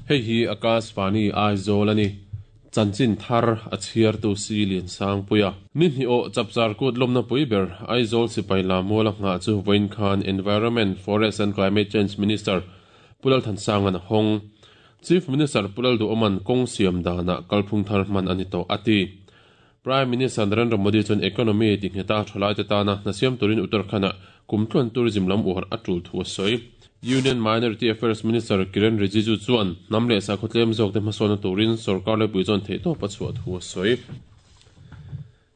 Hei hi Akashvani Aizawl a ni. Chanchin thar a chhiartu Si Liansangpuia. Ni hnih awh Chapchar Kut lawmna pui ber Aizawl sipai Lamuala nghah chu vawiin khan Environment, Forest and Climate Change Minister Pu Lalthansanga'n a hawng. Chief Minister Pu Lalduhawma'n kawng siam danah kalphung thar hman a ni tawh a ti. Prime Minister Narendra Modi chuan economy ti ngheta thalaite tana hna siam turin Uttarakhand-ah kumtluan tourism lam uar a tul thu a sawi. Union Minority Affairs Minister Kiren Rijiju chuan hnam leh sakhaw tlem zawkte hmasawnna turin sorkar laipui chuan theihtawp a chhuah thu a sawi.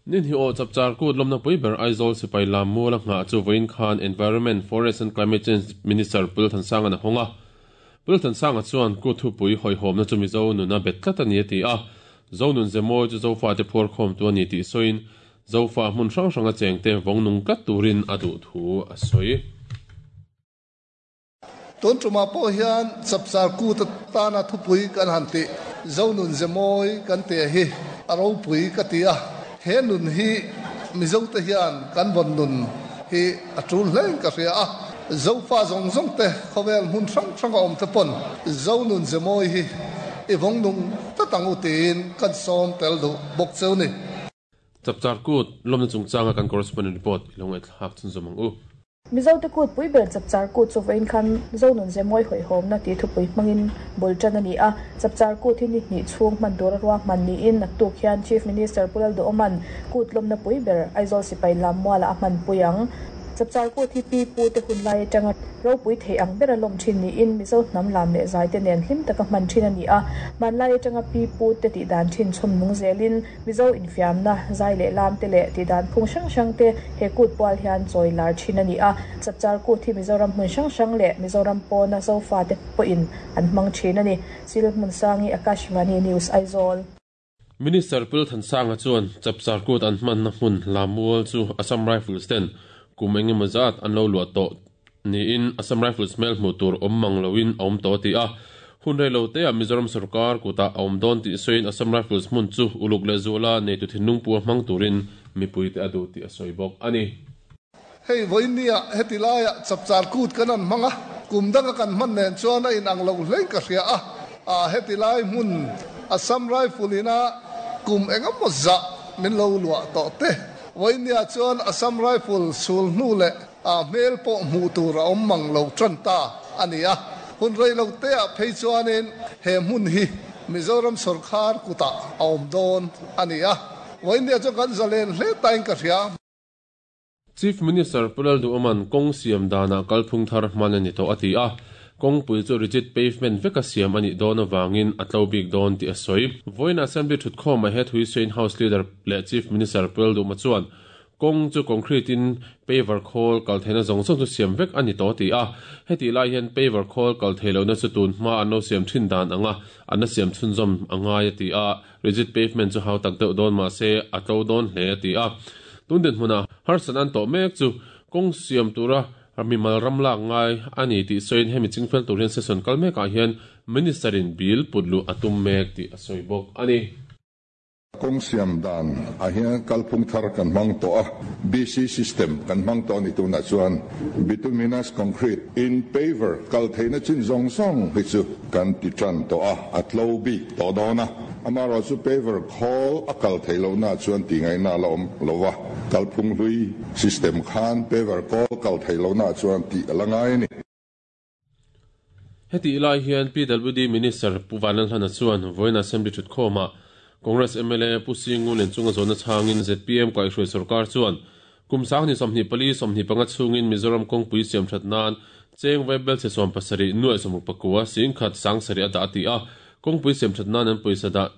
Ni hnih awh chapchar kut lawmna pui ber Aizawl sipai lam muala nghah chu vawiin khan Environment, Forest and Climate Change Minister Pu Lalthansanga'n a hawng a. Pu Lalthansanga chuan kut thupui hawihhawmna chu Mizo nuna bet tlat a ni a ti a. Zonun Zemawi chu Zofate phuarkhawmtu a ni tih sawiin Zofa hmun hrang hranga chengte vawng nung tlat turin a duh thu a sawi. Tun tumah pawh hian Chapchar Kut atana thupui kan han tih Zonun Zemawi kan tih hi a ropui ka ti a, he nun hi Mizote hian kan vawn nun hi a tul hlein ka hria a, Zofa zawng zawng te khawvel hmun hrang hranga awm te pawn Zonun Zemawi hi i vawng nung tlat ang u tiin kan sawm tel duh bawk cheu ni. Chapchar Kut lawmna chungchanga kan correspondent report i lo ngaihthlak chhunzawm ang u. Mizote kut pui ber Chapchar Kut chu vawiin khan Zonun Zemawi hawihhawmna tih thupui hmangin bul tan a ni a. Chapchar Kut hi ni hnih chhung hman tura ruahman niin naktuk hian Chief Minister Pu Lalduhawma'n kut lawmna pui ber Aizawl Sipai Lammualah a hmanpui ang. Chapchar Kut hi pi pu te hun lai atanga ropui theih ang bera lawm thin niin Mizo hnam lam leh zai te nen hlim taka hman thin a ni a. Hmanlai atanga pi pu te tih dan thin chhawm nung zelin Mizo infiamna, zai leh lam te leh tih dan phung hrang hrang te he kut pual hian chawi lar thin a ni a. Chapchar Kut hi Mizoram hmun hrang hrang leh Mizoram pawna Zofa te pawhin an hmang thin a ni. Sil Hmunsangi, Akashvani News, Aizawl. Minister Pul Thansanga chuan Chapchar Kut an hmanna hmun Lamual chu Assam Rifles ten kum eng emaw zat an lo luah tawh niin Assam Rifles hmel hmuh tur awm mang loin a awm tawh a ti a. Hun rei lo teah Mizoram sorkar kutah a awm dawn tih sawiin Assam Rifles hmun chu uluk leh zuala neitu thinlung pua hmang turin mipuite a duh tih a sawi bawk a ni. Hei vawinia heti laiah Chapchar Kut kan han hmang a, kum danga kan hman nen chuan a inang lo hlein ka hria a, aa heti lai hmun Assam Rifle ina kum engemaw zah min lo luah tawh te. Vawinia chuan Assam Rifle sul hnu leh aa hmel pawh hmuh tur a awm mang lo tan ta a ni a, hun rei lo teah phei chuanin he hmun hi Mizoram sawrkhar kutah a awm dawn a ni a, vawinia chuan kan zalen hle tain ka hria. Chief Minister Pu Lalduhawma'n kawng siam danah kalphung thar hman a ni tawh a ti a, kawngpui chu rigid pavement veka siam a nih dawn avangin a tlo bik dawn tih a sawi. Vawiin Assembly thutkhawmah he Thuisain House Leader leh Chief Minister Pu Lalduhma chuan kawng chu concrete in paver khawl kal theihna zawng zawng chu siam vek a ni tawh a ti a, hetih lai hian paver khawl kal theih lohna chu tun hma an lo siam thin dan anga an la siam chhunzawm a ngai a ti a. Rigid pavement chu hau tak deuh dawn mah se a tlo dawn hle a ti a. Tun dinhmunah harsat an tawh mek chu kawng siam tura mimal ram lak ngai a ni tih sawiin hemi chingfel tur hian session kal mekah hian Minister in bill put luh a tum mek tih a sawi bawk a ni. Kawng siam dan ah hian kalphung thar kan hmang tawh a, BC system kan hmang tawh a ni tunah chuan bituminous concrete in paver kal theihna chin zawng zawng hi chu kan ti tan tawh a, a tlo bik tawh dawn a. Amaherawh chu paver khawl a kal theih lohna chuan tih ngaihna a la awm lo va, kalphung hlui system khan paver kawl kal theih lohna chuan tih a la ngai a ni. Hetih lai hian PWD Minister Pu Vanlalhlana chuan vawiin Assembly thutkhawmah Congress mla Pu Singu Lenchunga zawhna chhangin zpm kaihhruai sorkar chuan kum sang ni 24 25 chhungin Mizoram kawngpui siamthat nan cheng vaibel chhe 70 nuaih 69 singkhat sangsarih a dah a ti a, kawngpui siamthat nan an pawisa dah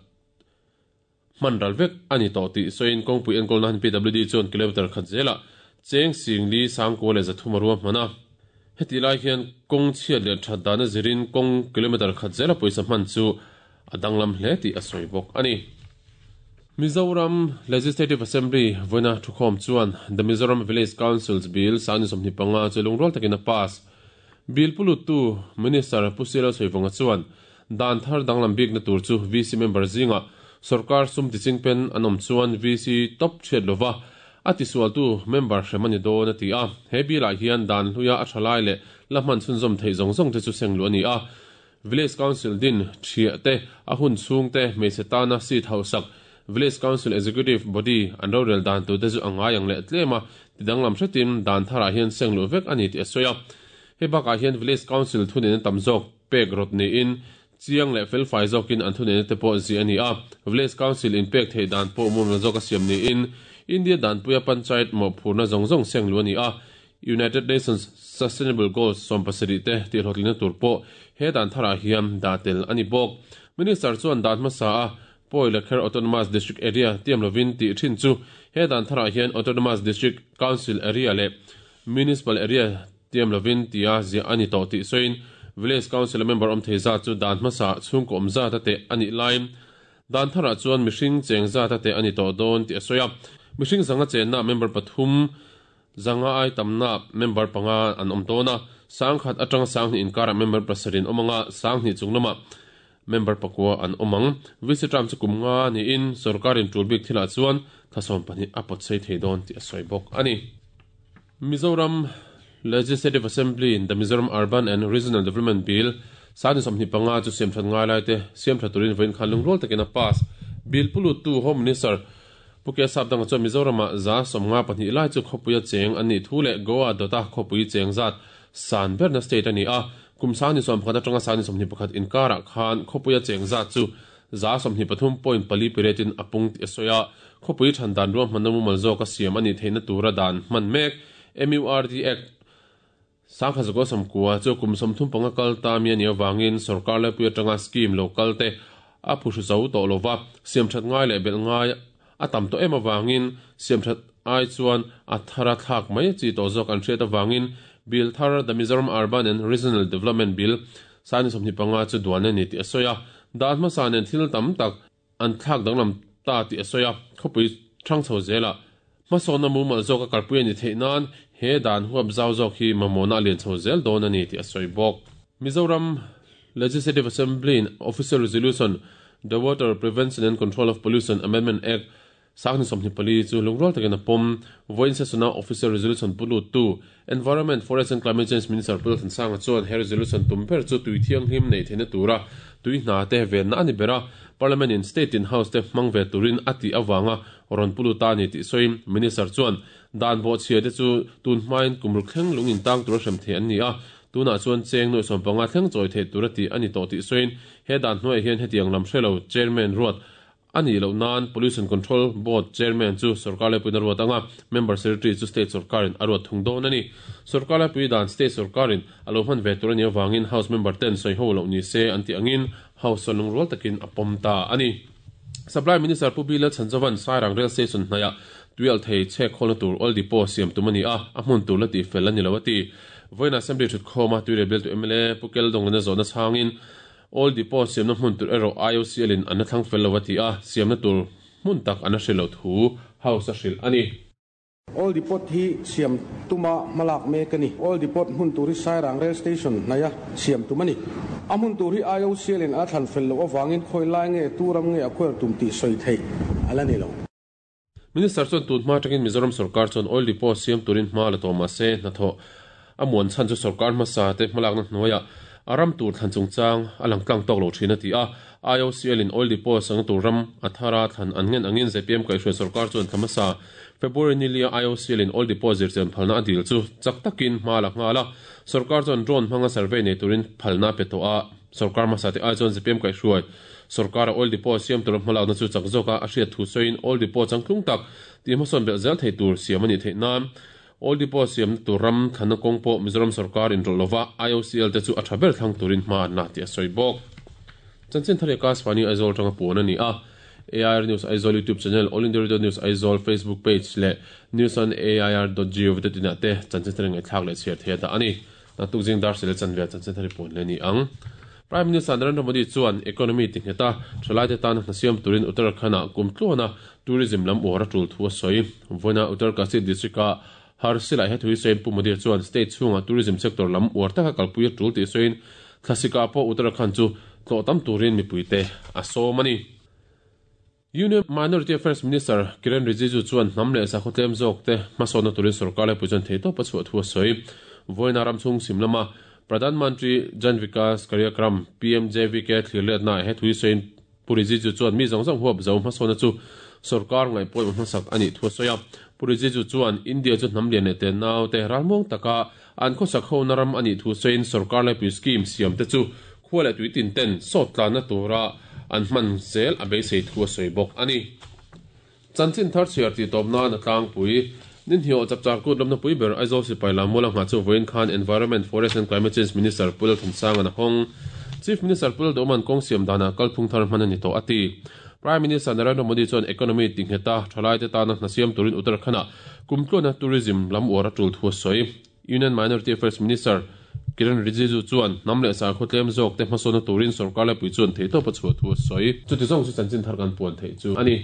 hman ral vek a ni tawh tih sawiin kawngpui enkawlna han PWD chuan kilometre khat zelah cheng singli sangkua leh 300 a ruahman a. Hetih lai hian kawng chhiat leh that dana zirin kawng kilometre khat zela pawisa hman chu a danglam hle tih a sawi bawk a ni. Mizoram Legislative Assembly vawiina thukhawm chuan The Mizoram Village Councils Bill sangni 25 chu lungrual takin a pass. Bill puluttu Minister Pu Sirel Sawivawnga chuan Dan thar danglam bikna tur chu VC member zingah sorkar sum tichingpen an awm chuan VC top chhiat lova a tisualtu member hrem a ni dawn a ti a. He bill-ah hian dan hluia a tha lai leh la hman chhunzawm theih zawng zawng te chu seng luh a ni a. Village Council din thiah te, a hun chhung te, hmeichhe tana seat hauhsak, Village Council Executive Body an rorel dan tur te chu a ngai ang leh tlem a, tidanglam hretin dan tharah hian seng luh vek a ni tih a sawi a. Hei bakah hian Village Council thuneihna tam zawk pek rawt niin chiang leh felfai zawkin an thuneihna te pawh ziah a ni a. Village Council inpek theih dan pawh mumal zawk a siam niin India danpuia Panchayat mawhphurhna zawng zawng seng luh a ni a. United Nations Sustainable Goals 17 te tihhlawhtlinna tur pawh he dan tharah hian dah tel a ni bawk. Minister chuan dan hmasa a Pawi Lakher Autonomous District Area tiam lovin tih thin chu he dan tharah hian Autonomous District Council Area leh Municipal Area tiam lovin tia ziah a ni tawh tih sawiin Village Council-a member awm thei zat chu dan hmasa chhungkaw awm zat a teh a nih laiin dan tharah chuan mihring cheng zat a teh a ni tawh dawn tih a sawi a. Mihring zanga chenna member pathum Zanga ai tamna member panga an awm dawn a, 10,000 atanga 2000 inkarah member pasarih an awm ang a, 2000 chung lamah member pakua an awm ang. VC term chu kum nga niin sorkarin tul bik thilah chuan thla 12 a pawt sei thei dawn tih a sawi bawk a ni. Mizoram Legislative Assembly in the Mizoram Urban and Regional Development Bill 2025 chu siamthat ngai laite siamtha turin vawiin khan lungrual takin a pass. Bill pu luttu Home Minister Pu Kesap dangah chuan Mizoramah 52 lai chu khawpuia cheng an nih thu leh Goa dawta khawpui cheng zat san berna state a ni a. Kum 2011 atanga 2021 inkarah khan khawpuia cheng zat chu 23.4 piretin a pung tih a sawi a. Khawpui than dan ruahmanna mumal zawka siam a nih theihna tura dan hman mek MURD Act 1990 chu kum 35 kal ta mi a nih avangin sorkar laipui atanga scheme lo kal te a phuhru zo tawh lo va, siamthat ngai leh belh ngai a tam tawh em avangin siamthat ai chuan a thar a thlak mai chi tawh zawk an hriat avangin Bill thar The Mizoram Urban and Regional Development Bill 2025 chu duan a ni tih a sawi a. Dan hmasa nen thil tam tak an thlak danglam ta tih a sawi a, khawpui hrang chho zelah hmasawnna mumal zawk a kalpui a ni theih nan he dan huap zau zawk hi mamawhna a lian chho zel dawn a ni tih a sawi bawk. Mizoram Legislative Assembly in Official Resolution The Water Prevention and Control of Pollution Amendment Act 2024 chu lungrual takin a pawm. Vawiin session-a Official Resolution pu luttu Environment, Forest and Climate Change Minister Pu Lalthansanga chuan he resolution tum ber chu tui thianghlim neih theihna tura tui hna te venna a ni ber a, Parliament in State in House te hmang ve turin a tih avanga rawn pu lut a ni tih sawiin Minister chuan dan bawhchhia te chu tun hmain kum ruk thleng lung intang tura hrem thei an ni a, tunah chuan cheng nuaih 15 thleng chawi theih tura tih a ni tawh tih sawiin he dan hnuaiah hian hetiang lam hre lo Chairman ruat A nih loh nan Pollution Control Board Chairman chu sorkar laipuiin a ruat ang a, Member Secretary chu State sorkarin a ruat thung dawn a ni. Sorkar laipui dan State sorkarin a lo hman ve tur a nih avangin House member ten sawi ho loh ni se an tih angin House chuan lungrual takin a pawm ta a ni. Supply Minister Pu Bilal Chhanzovan Sairang Rail Station hnaihah tuialh thei chhek khawlna tur oil depot siam tum a ni a, a hmun tur la tihfel a ni lo a ti. Vawiin Assembly thutkhawma Tuirel bialtu mla Pu Keldonglana zawhna chhangin Oil depot siamna hmun tur erawh IOCL in an la thlang fel lo a ti a, siamna tur hmun tak an la hrilh loh thu House a hrilh a ni. Oil depot hi siam tuma hmalak mek a ni. Oil depot hmun tur hi Sairang Rail Station hnaia siam tum a ni. A hmun tur hi IOCL in a la thlan fel loh avangin khawi lai nge tu ram nge a khuair tum tih sawi theih a la ni lo. Minister chuan tun hma atangin Mizoram sorkar chuan oil depot siam turin hma la tawh mahse hnathawh a muan chhan chu sorkar hmasa te hmalakna hnuaiah a ram tur thlan chungchang a lang tlang tawk lo thin a ti a. IOCL in oil depot sangna tur ram a thara thlan an ngen angin zpm kaihhruai sorkar chuan thla hmasa February nilia IOCL in oil depot zirchian phalna a dil chu chak takin hma la nghal a. Sorkar chuan drone hmanga survey nei turin phalna a pe tawh a. Sorkar hmasa te ai chuan zpm kaihhruai Sorkara oil depot siam tura hmalakna chu chak zawka a hriat thu sawiin oil depot changtlung tak tih hmasawn belh zel thei tur siam a nih theih nan oil depot siamna tur ram thlanna kawng pawh Mizoram sorkar inrawlh lova IOCL te chu a tha ber thlang turin hma an la tih a sawi bawk. Chanchin thar leh Kasvani Aizawl atanga puan a ni a. AIR News Aizawl YouTube channel, All India Radio News Aizawl Facebook page leh newsonair.gov.in ah te chanchin thar ngaihthlak leh chhiar thei a dah a ni. Naktuk zing dar sele chanve chanchin thar i puan leh a ni ang. Prime Minister Narendra Modi chuan economy ti nghet a, thalaite tana hna siam turin Uttarakhand-ah kum tluana tourism lam uar a tul thu a sawi. Vawiina Uttarkashi district-a Harsilai hethu hi sawiin Pu Modi chuan state chhunga tourism sector lam uar taka kalpui a tul tih sawiin thlasika pawh Uttarakhand chu tlawh tam turin mipuite a sawm a ni. Union Minority Affairs Minister Kiren Rijiju chuan hnam leh sakhaw tlem zawkte hmasawnna turin sorkar laipui chuan theihtawp a chhuah thu a sawi. Vawiina ramchhung sim lama Pradhan Mantri Jan Vikas Karyakram, PMJVK, thlirletna he thui sawiin Pu Rijiju chuan mi zawng zawng huap zo hmasawnna chu sorkar ngaihpawimawh hmasak a nih thu a sawi a. Pu Rijiju chuan India chu hnam lian leh tenau te ralmuang taka an khawsak hona ram a nih thu sawiin sorkar laipui scheme siam te chu khua leh tui tin ten sawt tlanna tura an hman zel a beisei thu a sawi bawk a ni. Chanchin thar chhiar tih tawp nan a tlangpui. Ninhniawh chapchar kut lawmna pui ber Aizawl sipai lam mual a nghah chu vawiin khan Environment, Forest and Climate Change Minister Pu Lalthansanga'n a hawng. Chief Minister Pu Lalduhawma'n kawng siam danah kalphung thar hman a ni tawh a ti. Prime Minister Narendra Modi chuan economy tingheta thalaite tana hna siam turin Uttarakhand-ah kumtluana tourism lam uar a tul thu a sawi. Union Minority Affairs Minister Kiren Rijiju chuan hnam leh sakhaw tlem zawk te hmasawnna turin sorkar laipui chuan theihtawp a chhuah thu a sawi. Chuti zawng chu chanchin thar kan puan theih chu a ni.